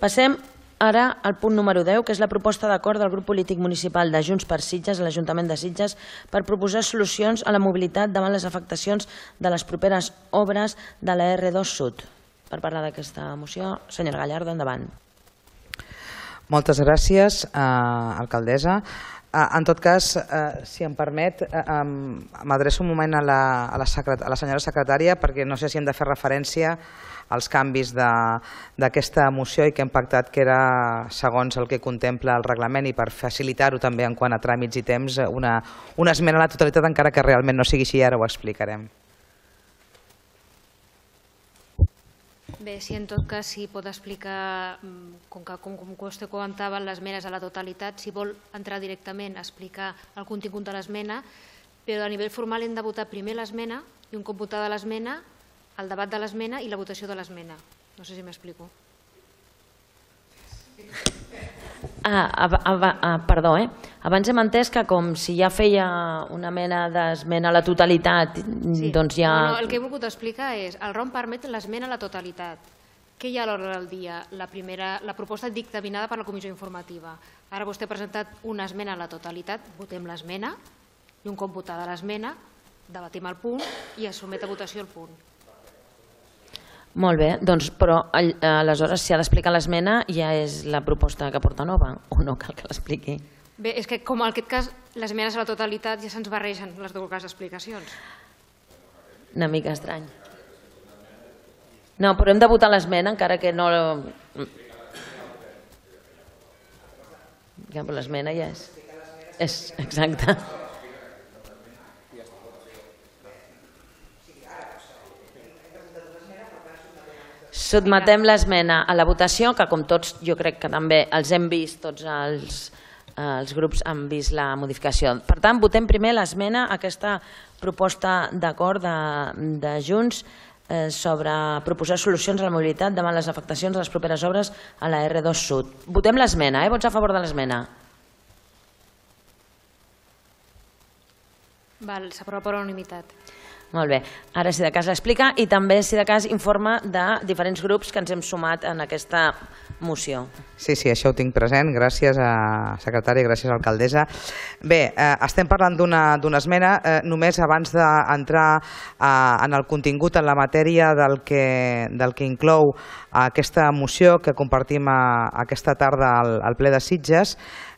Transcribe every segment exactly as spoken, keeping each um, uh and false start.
Passem ara al punt número deu, que és la proposta d'acord del grup polític municipal de Junts per Sitges a l'Ajuntament de Sitges per proposar solucions a la mobilitat davant les afectacions de les properes obres de la erre dos Sud. Per parlar d'aquesta moció, senyora Gallardo, endavant. Moltes gràcies, alcaldessa. En tot cas, si em permet, m'adreço un moment a la senyora secretària perquè no sé si hem de fer referència als canvis d'aquesta moció i que hem pactat que era segons el que contempla el reglament i per facilitar-ho també en quant a tràmits i temps una esmena a la totalitat, encara que realment no sigui així, ara ho explicarem. Bé, si en tot cas si pot explicar, com que com vostè comentava, les esmenes a la totalitat, si vol entrar directament a explicar el contingut de l'esmena, però a nivell formal hem de votar primer l'esmena i un cop votada l'esmena, el debat de l'esmena i la votació de l'esmena. No sé si m'explico. Ah, perdó, eh? Abans hem entès que com si ja feia una mena d'esmena a la totalitat, doncs ja... El que he volgut explicar és, el ROM permet l'esmena a la totalitat. Què hi ha a l'ordre del dia? La proposta dictaminada per la comissió informativa. Ara vostè ha presentat una esmena a la totalitat, votem l'esmena, i un cop votada l'esmena, debatem el punt i es somet a votació el punt. Molt bé, doncs, però aleshores si ha d'explicar l'esmena ja és la proposta que porta nova o no cal que l'expliqui? Bé, és que com en aquest cas les esmenes a la totalitat ja se'ns barregen les dues explicacions. Una mica estrany. No, però hem de votar l'esmena encara que no... L'esmena ja és... És exacte. Sotmetem l'esmena a la votació, que com tots jo crec que també els hem vist, tots els grups han vist la modificació. Per tant, votem primer l'esmena a aquesta proposta d'acord de Junts sobre proposar solucions a la mobilitat davant les afectacions de les properes obres a la erre dos Sud. Votem l'esmena, eh? Vots a favor de l'esmena? Val, s'aprova per unanimitat. Molt bé, ara si de cas l'explica i també si de cas informa de diferents grups que ens hem sumat en aquesta moció. Sí, sí, això ho tinc present, gràcies secretària, gràcies alcaldessa. Bé, estem parlant d'una esmena, només abans d'entrar en el contingut, en la matèria del que inclou aquesta moció que compartim aquesta tarda al ple de Sitges.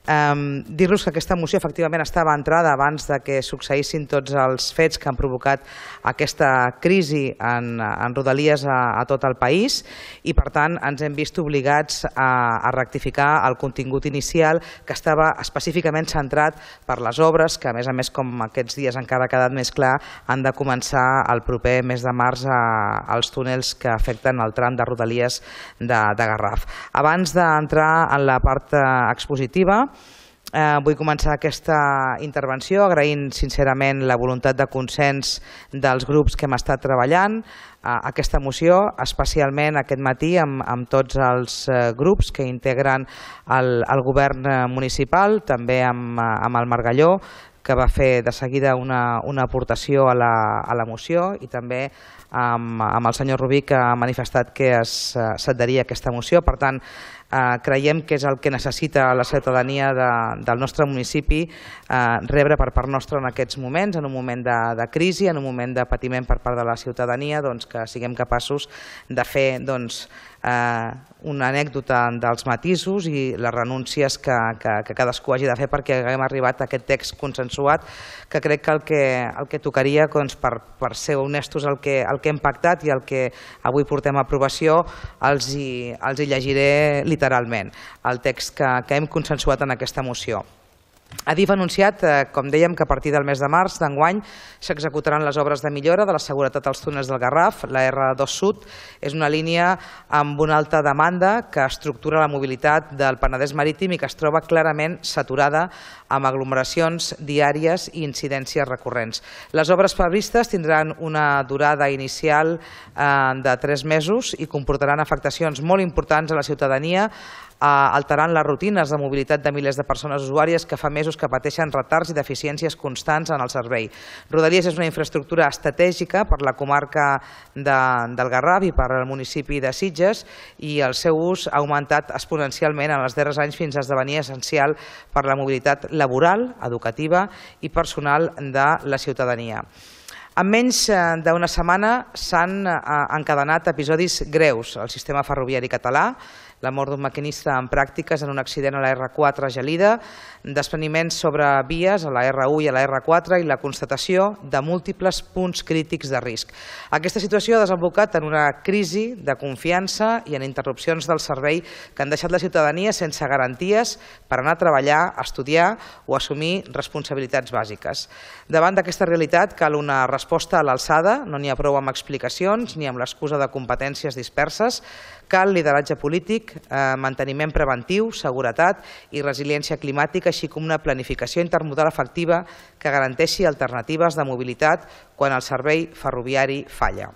Dir-los que aquesta moció efectivament estava entrada abans que succeïssin tots els fets que han provocat aquesta crisi en Rodalies a tot el país i per tant ens hem vist obligats a rectificar el contingut inicial que estava específicament centrat per les obres que a més a més com aquests dies encara ha quedat més clar han de començar el proper mes de març als túnels que afecten el tram de Rodalies de Garraf. Abans d'entrar en la part expositiva vull començar aquesta intervenció agraint sincerament la voluntat de consens dels grups que hem estat treballant aquesta moció, especialment aquest matí amb tots els grups que integren el govern municipal, també amb el Margalló, que va fer de seguida una aportació a la moció i també amb el senyor Rubí que ha manifestat que s'adheria a aquesta moció. Per tant, creiem que és el que necessita la ciutadania del nostre municipi rebre per part nostra en aquests moments, en un moment de crisi, en un moment de patiment per part de la ciutadania, que siguem capaços de fer una anècdota dels matisos i les renúncies que cadascú hagi de fer perquè haguem arribat a aquest text consensuat, que crec que el que tocaria, per ser honestos, el que hem pactat i el que avui portem a aprovació, els hi llegiré literalment, el text que hem consensuat en aquesta moció. Adif ha anunciat, com dèiem, que a partir del mes de març d'enguany s'executaran les obres de millora de la seguretat als túnels del Garraf. La erre dos Sud és una línia amb una alta demanda que estructura la mobilitat del Penedès marítim i que es troba clarament saturada amb aglomeracions diàries i incidències recurrents. Les obres previstes tindran una durada inicial de tres mesos i comportaran afectacions molt importants a la ciutadania alterant les rutines de mobilitat de milers de persones usuàries que fa mesos que pateixen retards i deficiències constants en el servei. Rodalies és una infraestructura estratègica per la comarca del Garraf i per al municipi de Sitges i el seu ús ha augmentat exponencialment en els darrers anys fins a esdevenir essencial per la mobilitat laboral, educativa i personal de la ciutadania. En menys d'una setmana s'han encadenat episodis greus al sistema ferroviari català, la mort d'un maquinista en pràctiques en un accident a la erre quatre a Gelida, despreniments sobre vies a la erre u i a la erre quatre i la constatació de múltiples punts crítics de risc. Aquesta situació ha desembocat en una crisi de confiança i en interrupcions del servei que han deixat la ciutadania sense garanties per anar a treballar, a estudiar o assumir responsabilitats bàsiques. Davant d'aquesta realitat cal una resposta a l'alçada, no n'hi ha prou amb explicacions ni amb l'excusa de competències disperses, cal lideratge polític, manteniment preventiu, seguretat i resiliència climàtica, així com una planificació intermodal efectiva que garanteixi alternatives de mobilitat quan el servei ferroviari falla.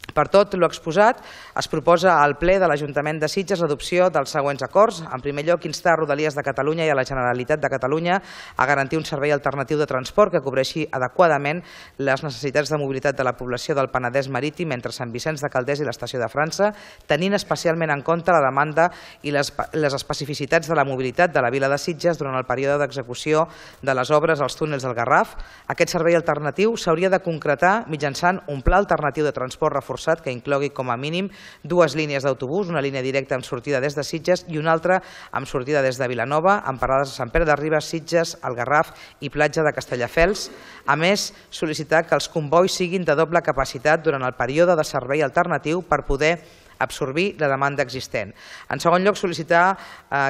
Per tot l'exposat, es proposa al ple de l'Ajuntament de Sitges l'adopció dels següents acords. En primer lloc, instar a Rodalies de Catalunya i a la Generalitat de Catalunya a garantir un servei alternatiu de transport que cobreixi adequadament les necessitats de mobilitat de la població del Penedès marítim entre Sant Vicenç de Calders i l'Estació de França, tenint especialment en compte la demanda i les, les especificitats de la mobilitat de la vila de Sitges durant el període d'execució de les obres als túnels del Garraf. Aquest servei alternatiu s'hauria de concretar mitjançant un pla alternatiu de transport reforçat que inclogui com a mínim dues línies d'autobús, una línia directa amb sortida des de Sitges i una altra amb sortida des de Vilanova, amb parades a Sant Pere de Ribes, Sitges, el Garraf i Platja de Castelldefels. A més, sol·licitar que els combois siguin de doble capacitat durant el període de servei alternatiu per poder absorbir la demanda existent. En segon lloc, sol·licitar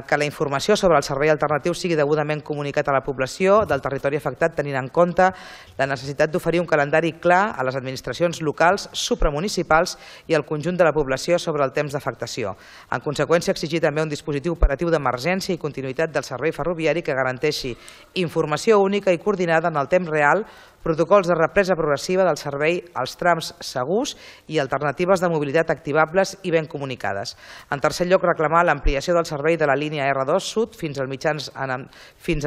que la informació sobre el servei alternatiu sigui degudament comunicat a la població del territori afectat, tenint en compte la necessitat d'oferir un calendari clar a les administracions locals, supramunicipals i al conjunt de la població sobre el temps d'afectació. En conseqüència, exigir també un dispositiu operatiu d'emergència i continuïtat del servei ferroviari que garanteixi informació única i coordinada en el temps real, protocols de represa progressiva del servei als trams segurs i alternatives de mobilitat activables i ben comunicades. En tercer lloc, reclamar l'ampliació del servei de la línia erre dos Sud fins a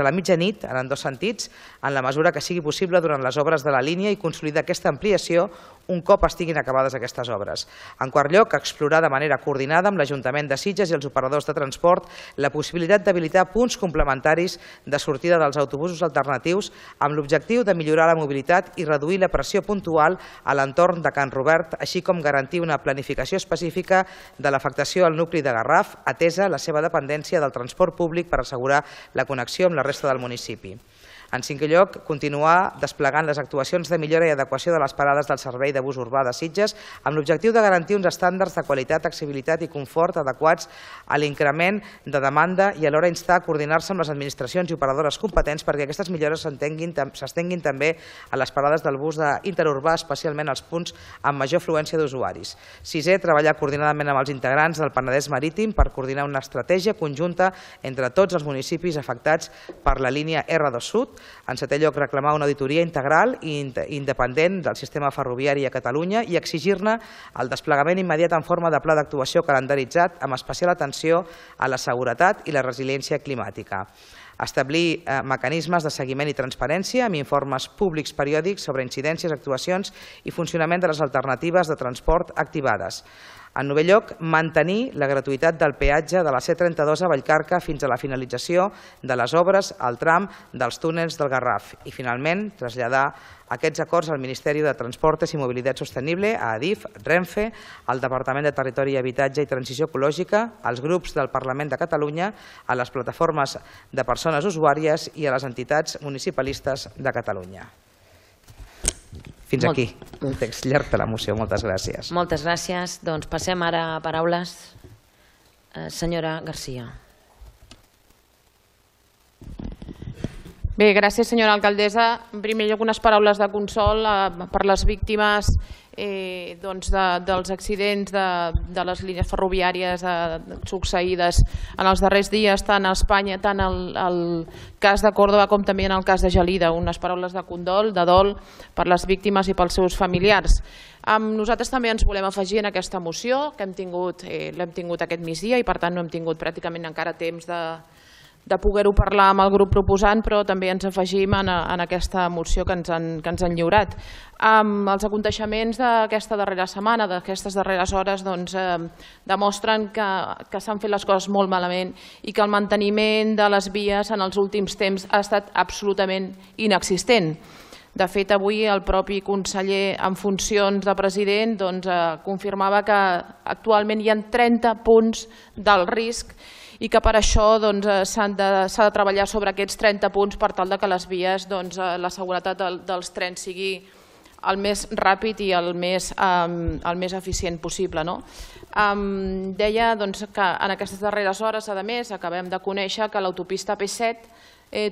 la mitjanit, en dos sentits, en la mesura que sigui possible durant les obres de la línia i consolidar aquesta ampliació un cop estiguin acabades aquestes obres. En quart lloc, explorar de manera coordinada amb l'Ajuntament de Sitges i els operadors de transport la possibilitat d'habilitar punts complementaris de sortida dels autobusos alternatius amb l'objectiu de millorar la mobilitat i reduir la pressió puntual a l'entorn de Can Robert, així com garantir una planificació específica de l'afectació al nucli de Garraf, atesa la seva dependència del transport públic per assegurar la connexió amb la resta del municipi. En cinquè lloc, continuar desplegant les actuacions de millora i adequació de les parades del servei de bus urbà de Sitges amb l'objectiu de garantir uns estàndards de qualitat, accessibilitat i confort adequats a l'increment de demanda i alhora instar a coordinar-se amb les administracions i operadores competents perquè aquestes millores s'estenguin també a les parades del bus interurbà, especialment als punts amb major afluència d'usuaris. Sisè, treballar coordinadament amb els integrants del Penedès marítim per coordinar una estratègia conjunta entre tots els municipis afectats per la línia erre dos Sud. En setè lloc, reclamar una auditoria integral i independent del sistema ferroviari a Catalunya i exigir-ne el desplegament immediat en forma de pla d'actuació calendaritzat amb especial atenció a la seguretat i la resiliència climàtica. Establir mecanismes de seguiment i transparència amb informes públics periòdics sobre incidències, actuacions i funcionament de les alternatives de transport activades. En novè lloc, mantenir la gratuïtat del peatge de la C trenta-dos a Vallcarca fins a la finalització de les obres al tram dels túnels del Garraf. I finalment, traslladar aquests acords al Ministeri de Transportes i Mobilitat Sostenible, a Adif, Renfe, al Departament de Territori i Habitatge i Transició Ecològica, als grups del Parlament de Catalunya, a les plataformes de persones usuàries i a les entitats municipalistes de Catalunya. Fins aquí, un text llarg de la moció. Moltes gràcies. Moltes gràcies. Doncs passem ara a paraules. Senyora Garcia. Bé, gràcies, senyora alcaldessa. En primer lloc, unes paraules de consol per les víctimes dels accidents de les línies ferroviàries succeïdes en els darrers dies, tant a Espanya, tant al cas de Còrdova com també en el cas de Gelida. Unes paraules de condol, de dol per les víctimes i pels seus familiars. Nosaltres també ens volem afegir en aquesta moció, que l'hem tingut aquest migdia i per tant no hem tingut pràcticament encara temps de de poder-ho parlar amb el grup proposant, però també ens afegim en aquesta moció que ens han lliurat. Els aconteixements d'aquesta darrera setmana, d'aquestes darreres hores, demostren que s'han fet les coses molt malament i que el manteniment de les vies en els últims temps ha estat absolutament inexistent. De fet, avui el propi conseller en funcions de president confirmava que actualment hi ha trenta punts d'alt risc i que per això s'ha de treballar sobre aquests trenta punts per tal que les vies, la seguretat dels trens sigui el més ràpid i el més eficient possible. Deia que en aquestes darreres hores, a més, acabem de conèixer que l'autopista P set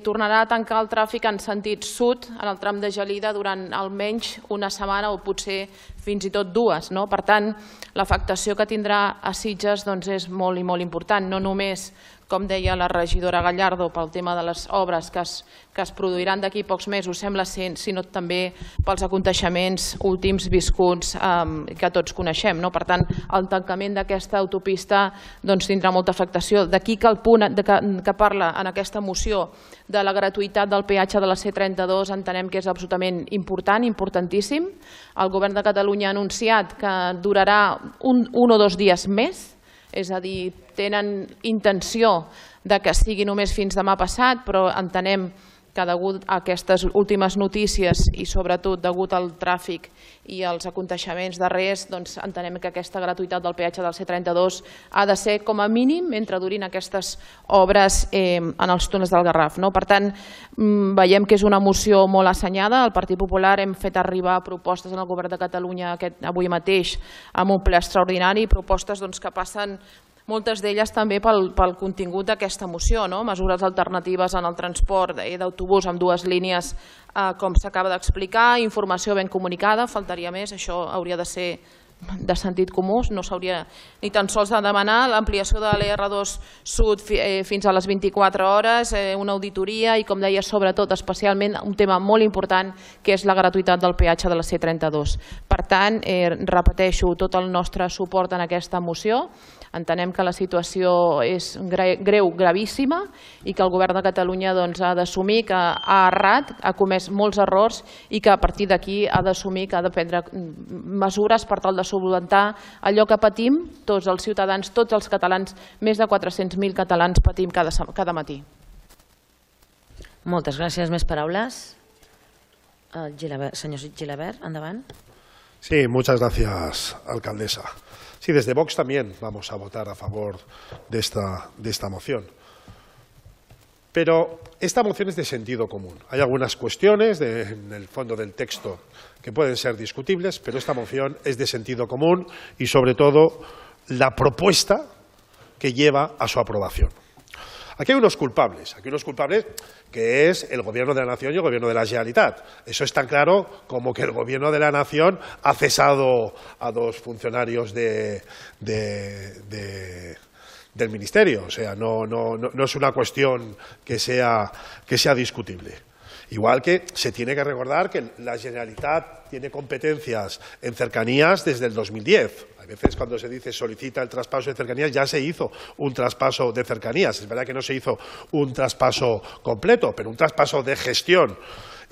tornarà a tancar el tràfic en sentit sud en el tram de Gelida durant almenys una setmana o potser fins i tot dues. Per tant, l'afectació que tindrà a Sitges és molt i molt important, no només, com deia la regidora Gallardo, pel tema de les obres que es produiran d'aquí pocs mesos, sembla ser, sinó també pels aconteixements últims viscuts que tots coneixem. Per tant, el tancament d'aquesta autopista tindrà molta afectació. D'aquí que el punt que parla en aquesta moció de la gratuïtat del peatge de la C trenta-dos entenem que és absolutament important, importantíssim. El govern de Catalunya ha anunciat que durarà un o dos dies més, és a dir, tenen intenció que sigui només fins demà passat, però entenem que degut a aquestes últimes notícies i sobretot degut al tràfic i als aconteixements darrers, entenem que aquesta gratuïtat del peatge del C trenta-dos ha de ser com a mínim mentre durin aquestes obres en els túnels del Garraf. Per tant, veiem que és una moció molt assenyada. El Partit Popular hem fet arribar propostes al Govern de Catalunya avui mateix amb un ple extraordinari, propostes que passen moltes d'elles també pel contingut d'aquesta moció, mesures alternatives en el transport d'autobús amb dues línies, com s'acaba d'explicar, informació ben comunicada, faltaria més, això hauria de ser de sentit comú, no s'hauria ni tan sols de demanar l'ampliació de l'E R dos Sud fins a les vint-i-quatre hores, una auditoria i, com deia, sobretot, especialment, un tema molt important, que és la gratuïtat del peatge de la C trenta-dos. Per tant, repeteixo, tot el nostre suport en aquesta moció. Entenem que la situació és greu, gravíssima, i que el Govern de Catalunya ha d'assumir que ha errat, ha comès molts errors i que a partir d'aquí ha d'assumir que ha de prendre mesures per tal de solucionar allò que patim tots els ciutadans, tots els catalans, més de quatre-cents mil catalans patim cada matí. Moltes gràcies. Més paraules? Senyor Gilabert, endavant. Sí, muchas gracias, alcaldesa. Sí, desde Vox también vamos a votar a favor de esta, de esta moción. Pero esta moción es de sentido común. Hay algunas cuestiones de, en el fondo del texto que pueden ser discutibles, pero esta moción es de sentido común y, sobre todo, la propuesta que lleva a su aprobación. Aquí hay unos culpables, aquí hay unos culpables que es el Gobierno de la Nación y el Gobierno de la Generalitat. Eso es tan claro como que el Gobierno de la Nación ha cesado a dos funcionarios de, de, de, del Ministerio. O sea, no, no, no, no es una cuestión que sea, que sea discutible. Igual que se tiene que recordar que la Generalitat tiene competencias en cercanías desde el dos mil diez. A veces cuando se dice solicita el traspaso de cercanías, ya se hizo un traspaso de cercanías. Es verdad que no se hizo un traspaso completo, pero un traspaso de gestión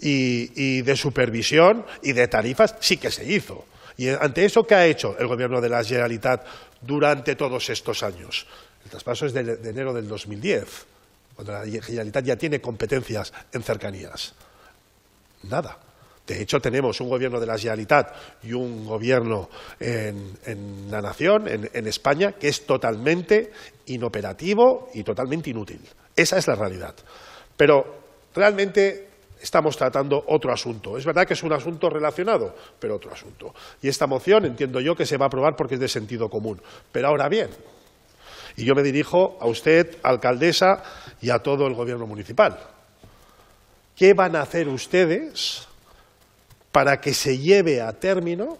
y, y de supervisión y de tarifas sí que se hizo. Y ante eso, ¿qué ha hecho el Gobierno de la Generalitat durante todos estos años? El traspaso es de, de enero del dos mil diez, cuando la Generalitat ya tiene competencias en cercanías. Nada. De hecho, tenemos un Gobierno de la Generalitat y un Gobierno en, en la Nación, en, en España, que es totalmente inoperativo y totalmente inútil. Esa es la realidad. Pero realmente estamos tratando otro asunto. Es verdad que es un asunto relacionado, pero otro asunto. Y esta moción entiendo yo que se va a aprobar porque es de sentido común. Pero ahora bien, y yo me dirijo a usted, alcaldesa, y a todo el Gobierno municipal. ¿qué van a hacer ustedes para que se lleve a término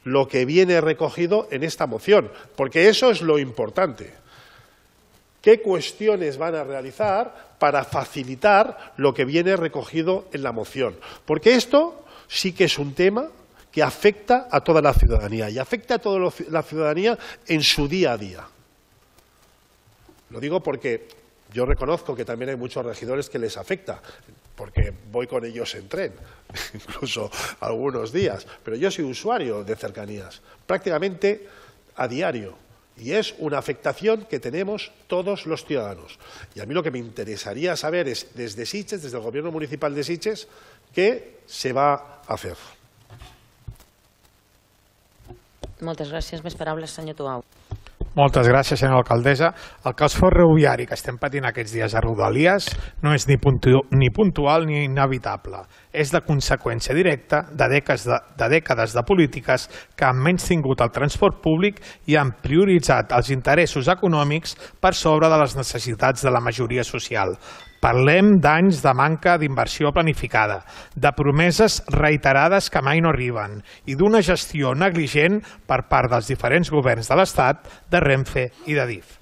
lo que viene recogido en esta moción? Porque eso es lo importante. ¿Qué cuestiones van a realizar para facilitar lo que viene recogido en la moción? Porque esto sí que es un tema que afecta a toda la ciudadanía y afecta a toda la ciudadanía en su día a día. Lo digo porque yo reconozco que también hay muchos regidores que les afecta, porque voy con ellos en tren, incluso algunos días, pero yo soy usuario de cercanías, prácticamente a diario. Y es una afectación que tenemos todos los ciudadanos. Y a mí lo que me interesaría saber es, desde Sitges, desde el Gobierno Municipal de Sitges, ¿qué se va a hacer? Moltes gràcies. Més paraules, senyor Tuau. Moltes gràcies, senyora alcaldessa. El caos ferroviari que estem patint aquests dies a Rodalies no és ni, puntu ni puntual ni inevitable. És la conseqüència directa de dècades de, de dècades de polítiques que han menystingut el transport públic i han prioritzat els interessos econòmics per sobre de les necessitats de la majoria social. Parlem d'anys de manca d'inversió planificada, de promeses reiterades que mai no arriben i d'una gestió negligent per part dels diferents governs de l'Estat, de Renfe i de D I F.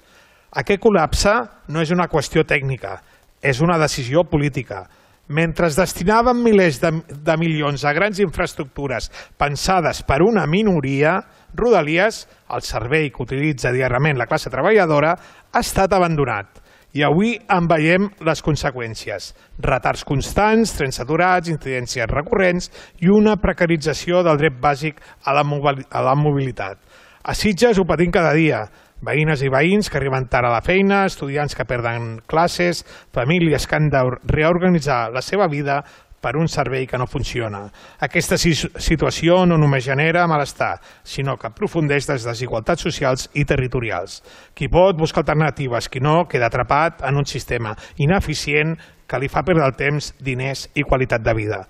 Aquest col·lapse no és una qüestió tècnica, és una decisió política. Mentre es destinaven milers de, de milions a grans infraestructures pensades per una minoria, Rodalies, el servei que utilitza diàriament la classe treballadora, ha estat abandonat. I avui en veiem les conseqüències. Retards constants, trens saturats, incidències recurrents i una precarització del dret bàsic a la mobilitat. A Sitges ho patim cada dia. Veïnes i veïns que arriben tard a la feina, estudiants que perden classes, famílies que han de reorganitzar la seva vida per un servei que no funciona. Aquesta situació no només genera malestar, sinó que aprofundeix les desigualtats socials i territorials. Qui pot busca alternatives, qui no queda atrapat en un sistema ineficient que li fa perdre el temps, diners i qualitat de vida.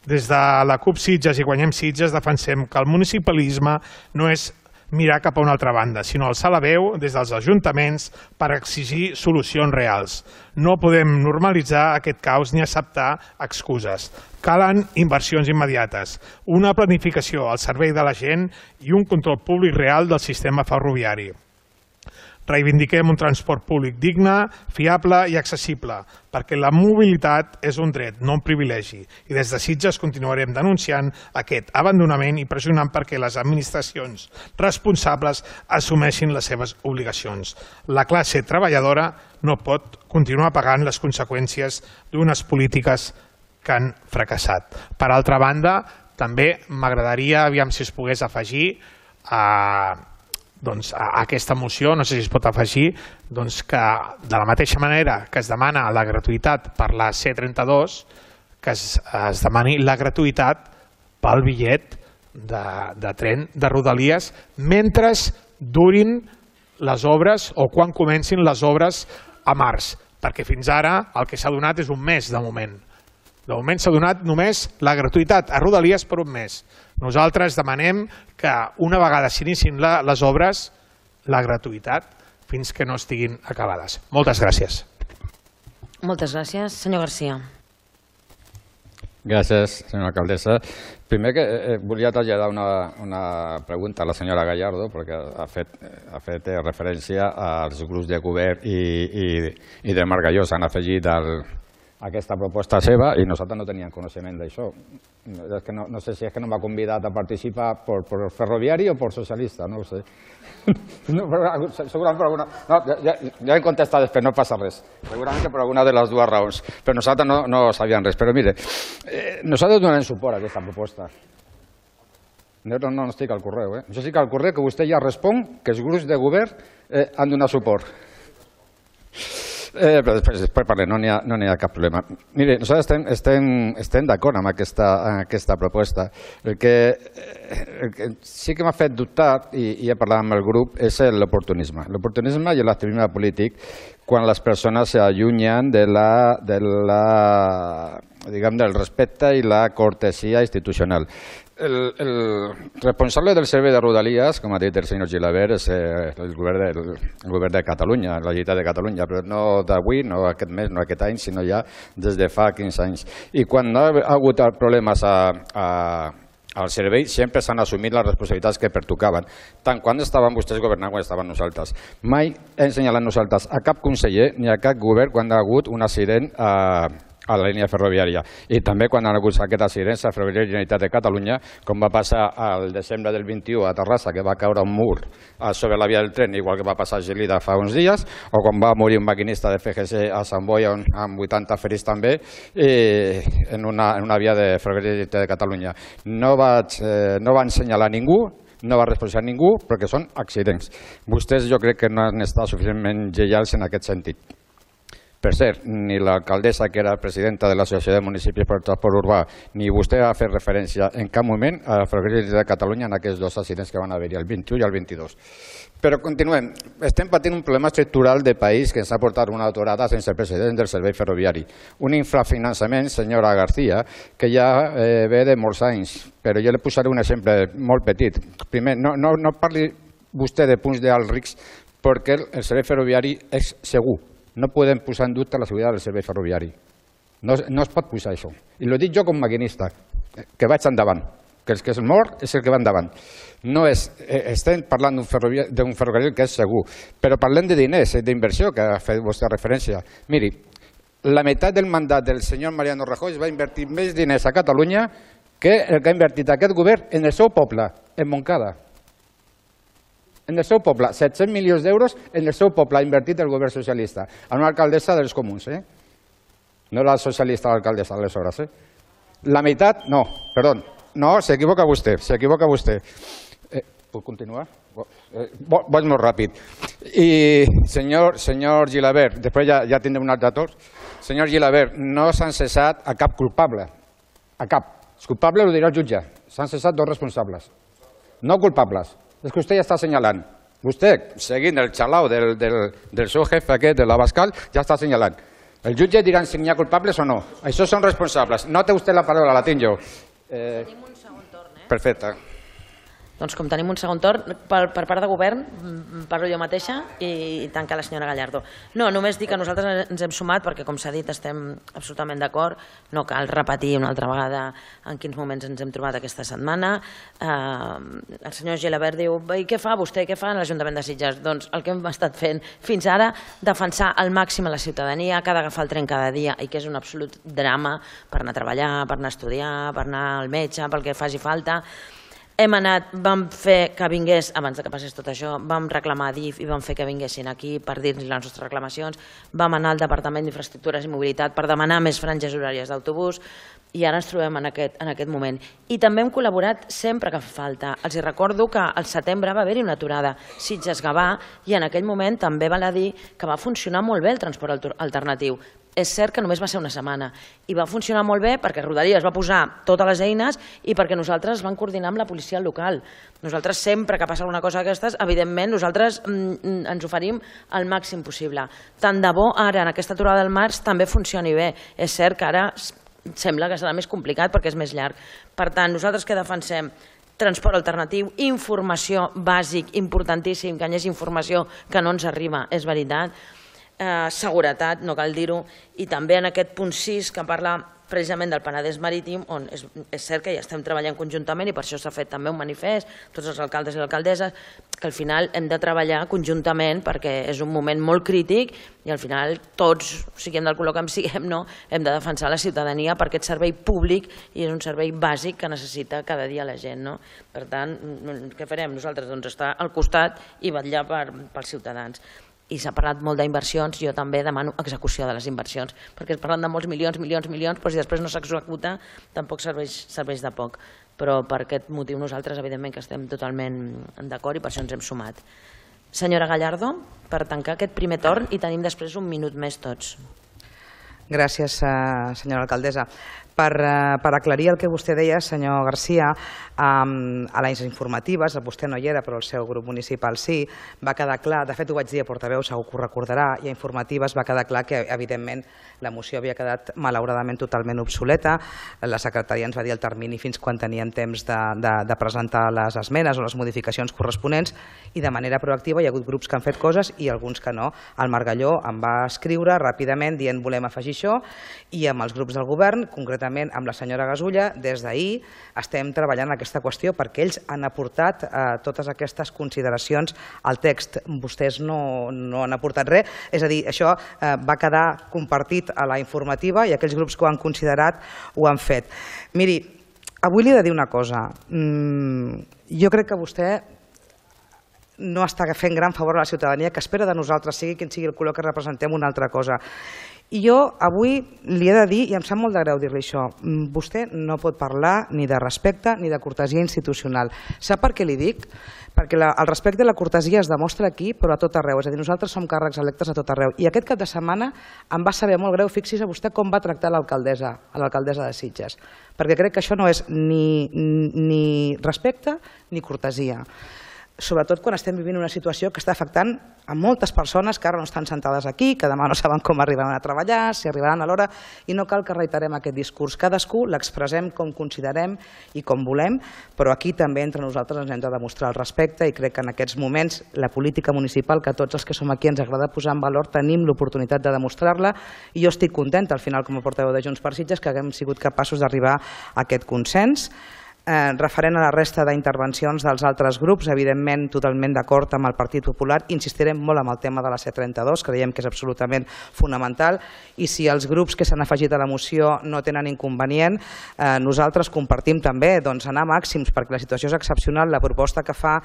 Des de la CUP Sitges i Guanyem Sitges defensem que el municipalisme no és mirar cap a una altra banda, sinó alçar la veu des dels ajuntaments per exigir solucions reals. No podem normalitzar aquest caos ni acceptar excuses. Calen inversions immediates, una planificació al servei de la gent i un control públic real del sistema ferroviari. Reivindiquem un transport públic digne, fiable i accessible, perquè la mobilitat és un dret, no un privilegi. I des de Sitges continuarem denunciant aquest abandonament i pressionant perquè les administracions responsables assumeixin les seves obligacions. La classe treballadora no pot continuar pagant les conseqüències d'unes polítiques que han fracassat. Per altra banda, també m'agradaria, aviam si es pogués afegir a... Doncs, a aquesta moció, no sé si es pot afegir, doncs que de la mateixa manera que es demana la gratuïtat per la C trenta-dos, que es, es demani la gratuïtat pel bitllet de, de tren de Rodalies mentre durin les obres o quan comencin les obres a març, perquè fins ara el que s'ha donat és un mes de moment. De moment s'ha donat només la gratuïtat a Rodalies per un mes. Nosaltres demanem que una vegada s'inicin les obres, la gratuïtat fins que no estiguin acabades. Moltes gràcies. Moltes gràcies. Senyor Garcia. Gràcies, senyora alcaldessa. Primer que eh, volia traslladar una, una pregunta a la senyora Gallardo, perquè ha fet, ha fet referència als grups de govern i, i, i de Margalló s'han afegit al aquesta proposta seva i nosaltres no teníem coneixement d'això. Es que no, no sé si és que no m'ha convidat a participar per, per ferroviari o per socialista, no ho sé. No, però, segurament per alguna... No, ja, ja he contestat després, no passa res. Segurament que per alguna de les dues raons. Però nosaltres no, no sabíem res. Però mire, eh, nosaltres donarem suport a aquesta proposta. No, no, no estic al correu. Eh? Jo estic al correu que vostè ja respon que els grups de govern eh, han donat suport. Eh, però després, després parlem, no n'hi ha, no n'hi ha cap problema. Mire, nosaltres estem, estem, estem d'acord amb aquesta, amb aquesta proposta. El que, el que sí que m'ha fet dubtar, i, i he parlat amb el grup, és l'oportunisme. L'oportunisme i l'activisme polític quan les persones s'allunyen de la, de la, diguem, del respecte i la cortesia institucional. El, el responsable del servei de Rodalies, com ha dit el senyor Gilabert, és el govern, de, el govern de Catalunya, la Generalitat de Catalunya, però no d'avui, no aquest mes, no aquest any, sinó ja des de fa quinze anys. I quan ha hagut problemes a, a, al servei, sempre s'han assumit les responsabilitats que pertocaven, tant quan estaven vostès governant com quan estaven nosaltres. Mai hem assenyalat nosaltres a cap conseller ni a cap govern quan ha hagut un accident a a la línia ferroviària. I també quan han hagut aquest accident a Ferroviària Generalitat de Catalunya, com va passar al desembre del vint-i-u a Terrassa, que va caure un mur sobre la via del tren, igual que va passar a Gelida fa uns dies, o quan va morir un maquinista de F G C a Sant Boi amb vuitanta ferits també, en una, en una via de Ferroviària Generalitat de Catalunya. No vaig, eh, no van assenyalar ningú, no va responsabilitzar ningú, perquè són accidents. Vostès jo crec que no han estat suficientment lleials en aquest sentit. Per cert, ni l'alcaldessa, que era presidenta de l'Associació de Municipis per Transport Urbà, ni vostè ha fet referència en cap moment a la Ferroviària de Catalunya en aquests dos accidents que van haver-hi, el vint-i-u i el vint-i-dos. Però continuem. Estem patint un problema estructural de país que ens ha portat una aturada sense precedents del servei ferroviari. Un infrafinançament, senyora García, que ja eh, ve de molts anys, però jo li posaré un exemple molt petit. Primer, no, no, no parli vostè de punts d'alt risc perquè el servei ferroviari és segur. No podem posar en dubte la seguretat del servei ferroviari. No, no es pot posar això. I ho dic jo com a maquinista, que vaig endavant, que el que es mor és el que va endavant. No és, estem parlant d'un ferroviari, d'un ferrocarril que és segur, però parlem de diners, d'inversió, que ha fet vostè referència. Miri, la meitat del mandat del senyor Mariano Rajoy va invertir més diners a Catalunya que el que ha invertit aquest govern en el seu poble, en Montcada. En el seu poble, set-cents milions d'euros en el seu poble ha invertit el govern socialista, en una alcaldessa dels comuns, eh? No la socialista l'alcaldessa, aleshores, eh? La meitat, no, perdó, no, s'equivoca vostè, s'equivoca vostè. Eh, puc continuar? Eh, vaig molt ràpid. I, senyor, senyor Gilabert, després ja, ja tindrem un altre torn. Senyor Gilabert, no s'han cessat a cap culpable, a cap. El culpable ho dirà el jutge, s'han cessat dos responsables, no culpables. És que vostè ja està assenyalant. Vostè, seguint el xalau del, del, del seu jefe aquest, de l'Abascal, ja està assenyalant. El jutge dirà si n'hi ha culpables o no. Això són responsables. No té vostè la paraula, la tinc jo. Eh, tenim un segon torn, eh? Perfecte. Doncs com tenim un segon torn, per, per part de govern, parlo jo mateixa i tanca la senyora Gallardo. No, només dic que nosaltres ens hem sumat perquè, com s'ha dit, estem absolutament d'acord. No cal repetir una altra vegada en quins moments ens hem trobat aquesta setmana. Eh, el senyor Gilabert diu, i què fa vostè, què fa en l'Ajuntament de Sitges? Doncs el que hem estat fent fins ara, defensar al màxim a la ciutadania, que ha d'agafar el tren cada dia i que és un absolut drama per anar a treballar, per anar a estudiar, per anar al metge, pel que faci falta. Hem anat, vam fer que vingués, abans que passés tot això, vam reclamar a D I F i vam fer que vinguessin aquí per dir-nos les nostres reclamacions, vam anar al Departament d'Infraestructures i Mobilitat per demanar més franges horàries d'autobús i ara ens trobem en aquest, en aquest moment. I també hem col·laborat sempre que fa falta. Els recordo que al setembre va haver-hi una aturada Sitges-Gavà i en aquell moment també val a dir que va funcionar molt bé el transport alternatiu. És cert que només va ser una setmana i va funcionar molt bé perquè Rodalies va posar totes les eines i perquè nosaltres vam coordinar amb la policia local. Nosaltres sempre que passa alguna cosa d'aquestes, evidentment nosaltres mm, ens oferim el màxim possible. Tant de bo ara en aquesta aturada del març també funcioni bé. És cert que ara sembla que serà més complicat perquè és més llarg. Per tant, nosaltres què defensem? Transport alternatiu, informació bàsic, importantíssim, que hi hagi informació que no ens arriba, és veritat. Eh, seguretat, no cal dir-ho, i també en aquest punt sis que parla precisament del Penedès Marítim, on és, és cert que ja estem treballant conjuntament i per això s'ha fet també un manifest, tots els alcaldes i alcaldesses, que al final hem de treballar conjuntament perquè és un moment molt crític i al final tots, siguem del color que en siguem, no, hem de defensar la ciutadania per aquest servei públic i és un servei bàsic que necessita cada dia la gent. No? Per tant, què farem nosaltres? Doncs estar al costat i vetllar per, pels ciutadans. I s'ha parlat molt d'inversions, jo també demano execució de les inversions, perquè es parlen de molts milions, milions, milions, però si després no s'executa tampoc serveix, serveix de poc. Però per aquest motiu nosaltres evidentment que estem totalment d'acord i per això ens hem sumat. Senyora Gallardo, per tancar aquest primer torn i tenim després un minut més tots. Gràcies, senyora alcaldessa. Per, eh, per aclarir el que vostè deia, senyor Garcia, um, a les informatives, vostè no hi era però el seu grup municipal sí, va quedar clar, de fet ho vaig dir a portaveu, segur que ho recordarà, i a informatives va quedar clar que evidentment la moció havia quedat malauradament totalment obsoleta. La secretaria ens va dir el termini fins quan teníem temps de, de, de presentar les esmenes o les modificacions corresponents, i de manera proactiva hi ha hagut grups que han fet coses i alguns que no. El Margalló em va escriure ràpidament dient volem afegir això, i amb els grups del govern, concretament amb la senyora Gasulla, des d'ahir estem treballant en aquesta qüestió perquè ells han aportat eh, totes aquestes consideracions al text. Vostès no, no han aportat res, és a dir, això eh, va quedar compartit a la informativa i aquells grups que ho han considerat ho han fet. Miri, avui li he de dir una cosa. Mm, jo crec que vostè no està fent gran favor a la ciutadania, que espera de nosaltres, sigui quin sigui el color que representem, una altra cosa. I jo avui li he de dir, i em sap molt de greu dir-li això, vostè no pot parlar ni de respecte ni de cortesia institucional. Sap per què li dic? Perquè la, el respecte i la cortesia es demostra aquí, però a tot arreu. És a dir, nosaltres som càrrecs electes a tot arreu. I aquest cap de setmana em va saber molt greu, fixi's a vostè com va tractar l'alcaldessa, a l'alcaldessa de Sitges. Perquè crec que això no és ni, ni respecte ni cortesia. Sobretot quan estem vivint una situació que està afectant a moltes persones que ara no estan sentades aquí, que demà no saben com arribaran a treballar, si arribaran a l'hora, i no cal que reiterem aquest discurs. Cadascú l'expressem com considerem i com volem, però aquí també entre nosaltres ens hem de demostrar el respecte, i crec que en aquests moments la política municipal, que tots els que som aquí ens agrada posar en valor, tenim l'oportunitat de demostrar-la, i jo estic contenta al final com a portaveu de Junts per Sitges que haguem sigut capaços d'arribar a aquest consens. Eh, referent a la resta d'intervencions dels altres grups, evidentment totalment d'acord amb el Partit Popular, insistirem molt amb el tema de la C trenta-dos, creiem que és absolutament fonamental, i si els grups que s'han afegit a la moció no tenen inconvenient, eh, nosaltres compartim també doncs, anar a màxims, perquè la situació és excepcional. La proposta que fa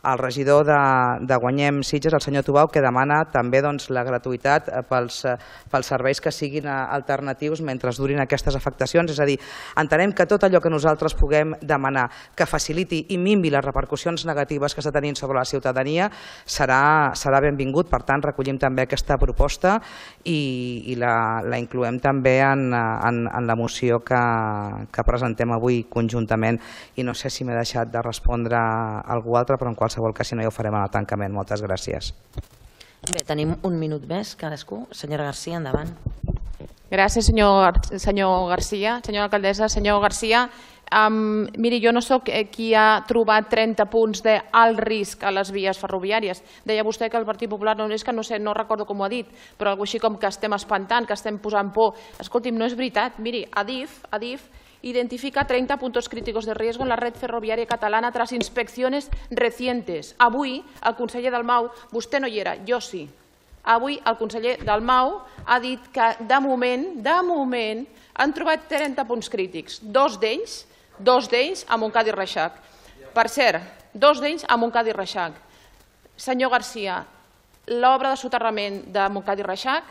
el regidor de, de Guanyem Sitges, el senyor Tubau, que demana també doncs, la gratuïtat pels, pels serveis que siguin alternatius mentre durin aquestes afectacions, és a dir, entenem que tot allò que nosaltres puguem demanar que faciliti i minvi les repercussions negatives que està tenint sobre la ciutadania serà, serà benvingut. Per tant, recollim també aquesta proposta i, i la, la incloem també en, en, en la moció que, que presentem avui conjuntament. I no sé si m'he deixat de respondre a algú altre, però en qualsevol cas, si no, ja ho farem en el tancament. Moltes gràcies. Bé, tenim un minut més cadascú. Senyora Garcia, endavant. Gràcies, senyor, senyor Garcia. Senyora alcaldessa, senyor Garcia, Um, miri, jo no sóc qui ha trobat trenta punts d'alt risc a les vies ferroviàries. Deia vostè que el Partit Popular no és que no sé, no recordo com ho ha dit, però alguna cosa així com que estem espantant, que estem posant por. Escolti'm, no és veritat. Miri, Adif, Adif identifica treinta puntos críticos de riesgo en la red ferroviària catalana tras inspecciones recientes. Avui, el conseller Dalmau, vostè no hi era, jo sí. Avui, el conseller Dalmau ha dit que, de moment, de moment, han trobat trenta punts crítics. Dos d'ells dos d'ells a Montcada i Reixac. Per cert, dos d'ells a Montcada i Reixac. Senyor Garcia, l'obra de soterrament de Montcada i Reixac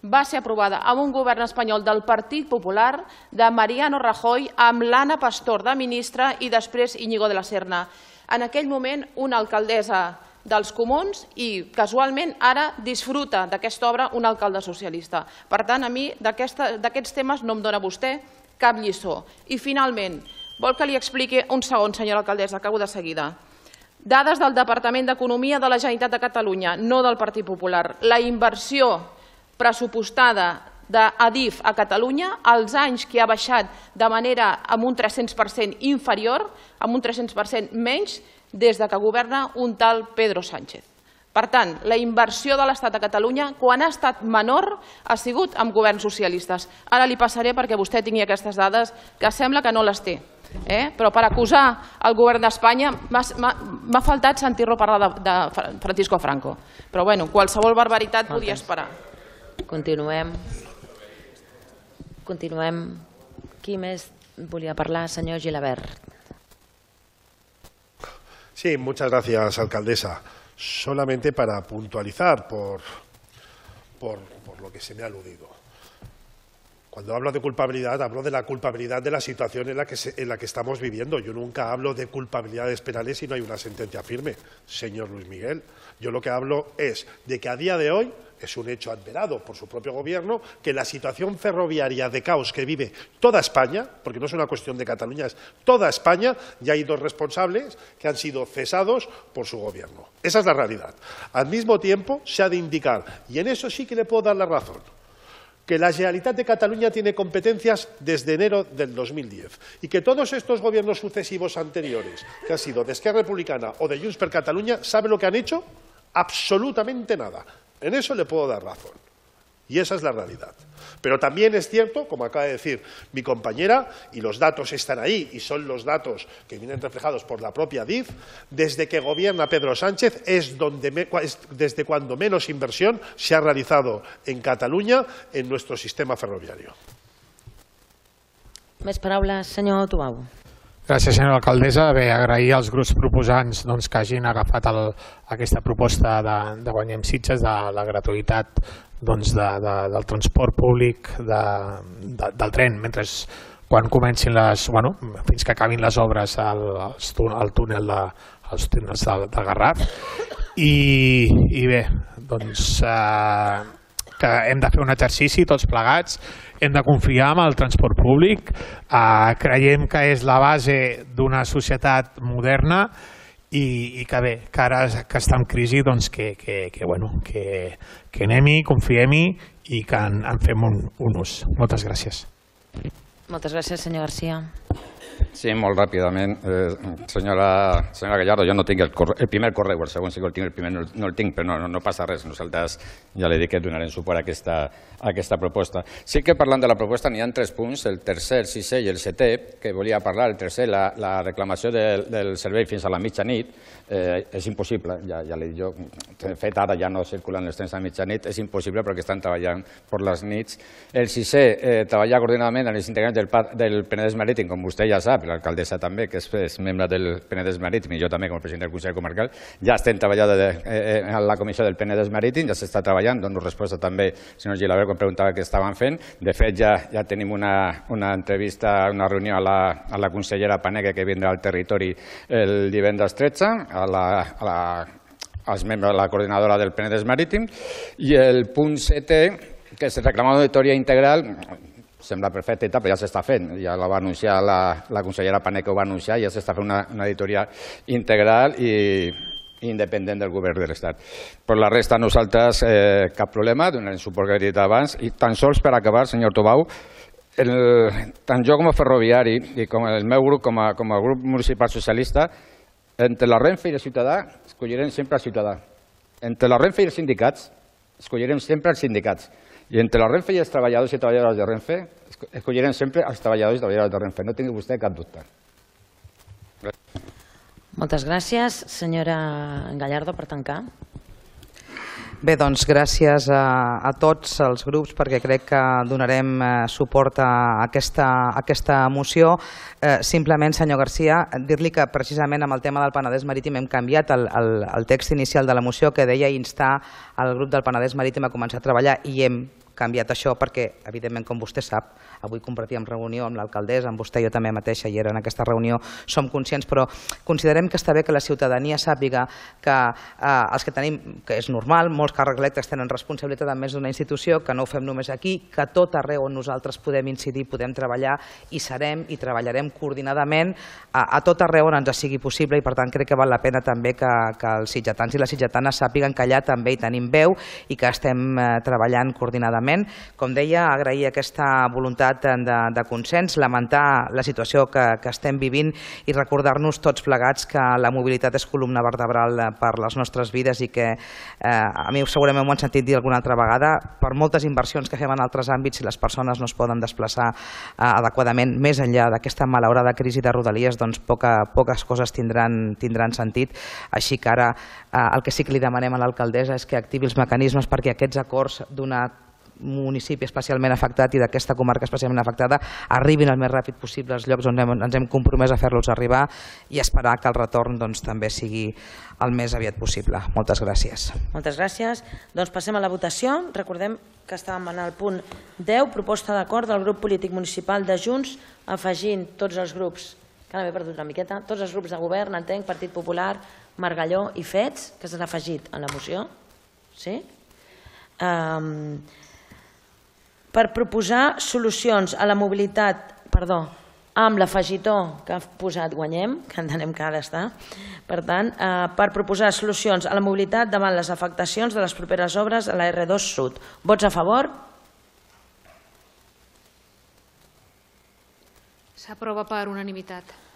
va ser aprovada amb un govern espanyol del Partit Popular, de Mariano Rajoy, amb l'Anna Pastor de ministra i després Íñigo de la Serna. En aquell moment, una alcaldessa dels Comuns i, casualment, ara disfruta d'aquesta obra un alcalde socialista. Per tant, a mi d'aquests temes no em dona vostè cap lliçó. I, finalment, vol que li expliqui un segon, senyora alcaldessa, acabo de seguida. Dades del Departament d'Economia de la Generalitat de Catalunya, no del Partit Popular. La inversió pressupostada d'Adif a Catalunya, als anys que ha baixat de manera amb un tres-cents per cent inferior, amb un tres-cents per cent menys, des que governa un tal Pedro Sánchez. Per tant, la inversió de l'Estat a Catalunya, quan ha estat menor, ha sigut amb governs socialistes. Ara li passaré perquè vostè tingui aquestes dades, que sembla que no les té. Però per acusar el govern d'Espanya m'ha faltat sentir-lo parlar de Francisco Franco. Però bueno, qualsevol barbaritat podia esperar. Continuem. Continuem. Qui més volia parlar? Senyor Gilabert. Sí, muchas gracias, alcaldesa. Solamente para puntualizar por, por, por lo que se me ha aludido. Cuando hablo de culpabilidad, hablo de la culpabilidad de la situación en la que, se, en la que estamos viviendo. Yo nunca hablo de culpabilidades penales si no hay una sentencia firme, señor Luis Miguel. Yo lo que hablo es de que a día de hoy es un hecho adverado por su propio gobierno que la situación ferroviaria de caos que vive toda España, porque no es una cuestión de Cataluña, es toda España, ya hay dos responsables que han sido cesados por su gobierno. Esa es la realidad. Al mismo tiempo, se ha de indicar, y en eso sí que le puedo dar la razón, que la Generalitat de Cataluña tiene competencias desde enero del dos mil diez y que todos estos gobiernos sucesivos anteriores, que han sido de Esquerra Republicana o de Junts per Catalunya, ¿sabe lo que han hecho? Absolutamente nada. En eso le puedo dar razón. Y esa es la realidad. Pero también es cierto, como acaba de decir mi compañera, y los datos están ahí, y son los datos que vienen reflejados por la propia D I F, desde que gobierna Pedro Sánchez es, donde me, es desde cuando menos inversión se ha realizado en Catalunya en nuestro sistema ferroviario. Més paraules, senyor Tubau. Gràcies, senyora alcaldessa. Bé, agrair als grups proposants doncs, que hagin agafat el, aquesta proposta de, de Guanyem Sitges, de la gratuïtat doncs, de, de, del transport públic de, de, del tren, mentre quan comencin les, bueno, fins que acabin les obres al, al túnel de, als túnels del, del Garraf. I, i bé, doncs eh, que hem de fer un exercici tots plegats, hem de confiar en el transport públic, eh, creiem que és la base d'una societat moderna i, i que bé, que ara que està en crisi, doncs que, que, que, bueno, que, que anem-hi, confiem-hi i que en, en fem un, un ús. Moltes gràcies. Moltes gràcies, senyor García. Sí, molt ràpidament. Eh, senyora, senyora Gallardo, jo no tinc el, corre, el primer correu, el segon sí que el tinc, el primer no, no el tinc, però no, no passa res. Nosaltres ja li dic que donarem suport a aquesta, a aquesta proposta. Sí que parlant de la proposta n'hi ha tres punts, el tercer, el sisè i el setè, que volia parlar. El tercer, la, la reclamació del, del servei fins a la mitjanit, eh, és impossible. Ja, ja li dic jo, de fet ara ja no circulen els trens a mitjanit, és impossible perquè estan treballant per les nits. El sisè, eh, treballar coordinadament amb els integrants del, del Penedès Marítim, com vostè ja sap, l'alcaldessa també, que és, és membre del Penedès Marítim, i jo també com a president del Consell Comarcal, ja estem treballant de, eh, en la comissió del Penedès Marítim, ja s'està treballant, dono resposta també al senyor Gilabert quan preguntava què estaven fent. De fet, ja, ja tenim una, una entrevista, una reunió a la, a la consellera Paneque que vindrà al territori el divendres tretze, a la, a la, als membres de la coordinadora del Penedès Marítim, i el punt setè, que és reclamar una auditoria integral, sembla perfecte, però ja s'està fent. Ja la va anunciar la, la consellera Paneque, ho va anunciar, ja s'està fent una, una auditoria integral i independent del govern de l'Estat. Per la resta, nosaltres eh, cap problema, donarem suport que he dit abans, i tan sols per acabar, senyor Tubau, el, tant jo com a ferroviari i com el meu grup, com a, com a grup municipal socialista, entre la Renfe i el ciutadà, escollirem sempre el ciutadà. Entre la Renfe i els sindicats, escollirem sempre els sindicats. I entre la Renfe i els treballadors i treballadores de Renfe, escollirem sempre els treballadors i treballadores de Renfe. No tingui vostè cap dubte. Moltes gràcies. Senyora Gallardo, per tancar. Bé, doncs gràcies a, a tots els grups perquè crec que donarem eh, suport a aquesta, a aquesta moció. Eh, simplement, senyor García, dir-li que precisament amb el tema del Penedès Marítim hem canviat el, el, el text inicial de la moció que deia instar al grup del Penedès Marítim a començar a treballar i hem canviat això perquè, evidentment, com vostè sap, avui compartíem reunió amb l'alcaldessa, amb vostè, jo també mateixa hi era en aquesta reunió, som conscients, però considerem que està bé que la ciutadania sàpiga que eh, els que tenim, que és normal, molts càrrecs electes tenen responsabilitat en més d'una institució, que no ho fem només aquí, que a tot arreu on nosaltres podem incidir, podem treballar i serem i treballarem coordinadament a, a tot arreu on ens sigui possible i per tant crec que val la pena també que, que els sitgetans i les sitgetanes sàpiguen que allà també hi tenim veu i que estem eh, treballant coordinadament. Com deia, agrair aquesta voluntat de, de consens, lamentar la situació que, que estem vivint i recordar-nos tots plegats que la mobilitat és columna vertebral per les nostres vides i que eh, a mi segurament m'ho han sentit dir alguna altra vegada, per moltes inversions que fem en altres àmbits, si les persones no es poden desplaçar eh, adequadament més enllà d'aquesta malaurada crisi de Rodalies, doncs poca, poques coses tindran, tindran sentit. Així que ara eh, el que sí que li demanem a l'alcaldessa és que activi els mecanismes perquè aquests acords d'una municipi especialment afectat i d'aquesta comarca especialment afectada arribin el més ràpid possible als llocs on hem, ens hem compromès a fer-los arribar i esperar que el retorn doncs, també sigui el més aviat possible. Moltes gràcies. Moltes gràcies. Doncs passem a la votació. Recordem que estàvem en el punt deu, proposta d'acord del grup polític municipal de Junts, afegint tots els grups, que ara m'he perdut una miqueta, tots els grups de govern, entenc, Partit Popular, Margalló i Fets, que s'han afegit a la moció, sí? Per proposar solucions a la mobilitat, perdó, amb l'afegitó que ha posat Guanyem, que entenem que ara està, per tant, per proposar solucions a la mobilitat davant les afectacions de les properes obres a la erre dos Sud. Vots a favor? S'aprova per unanimitat.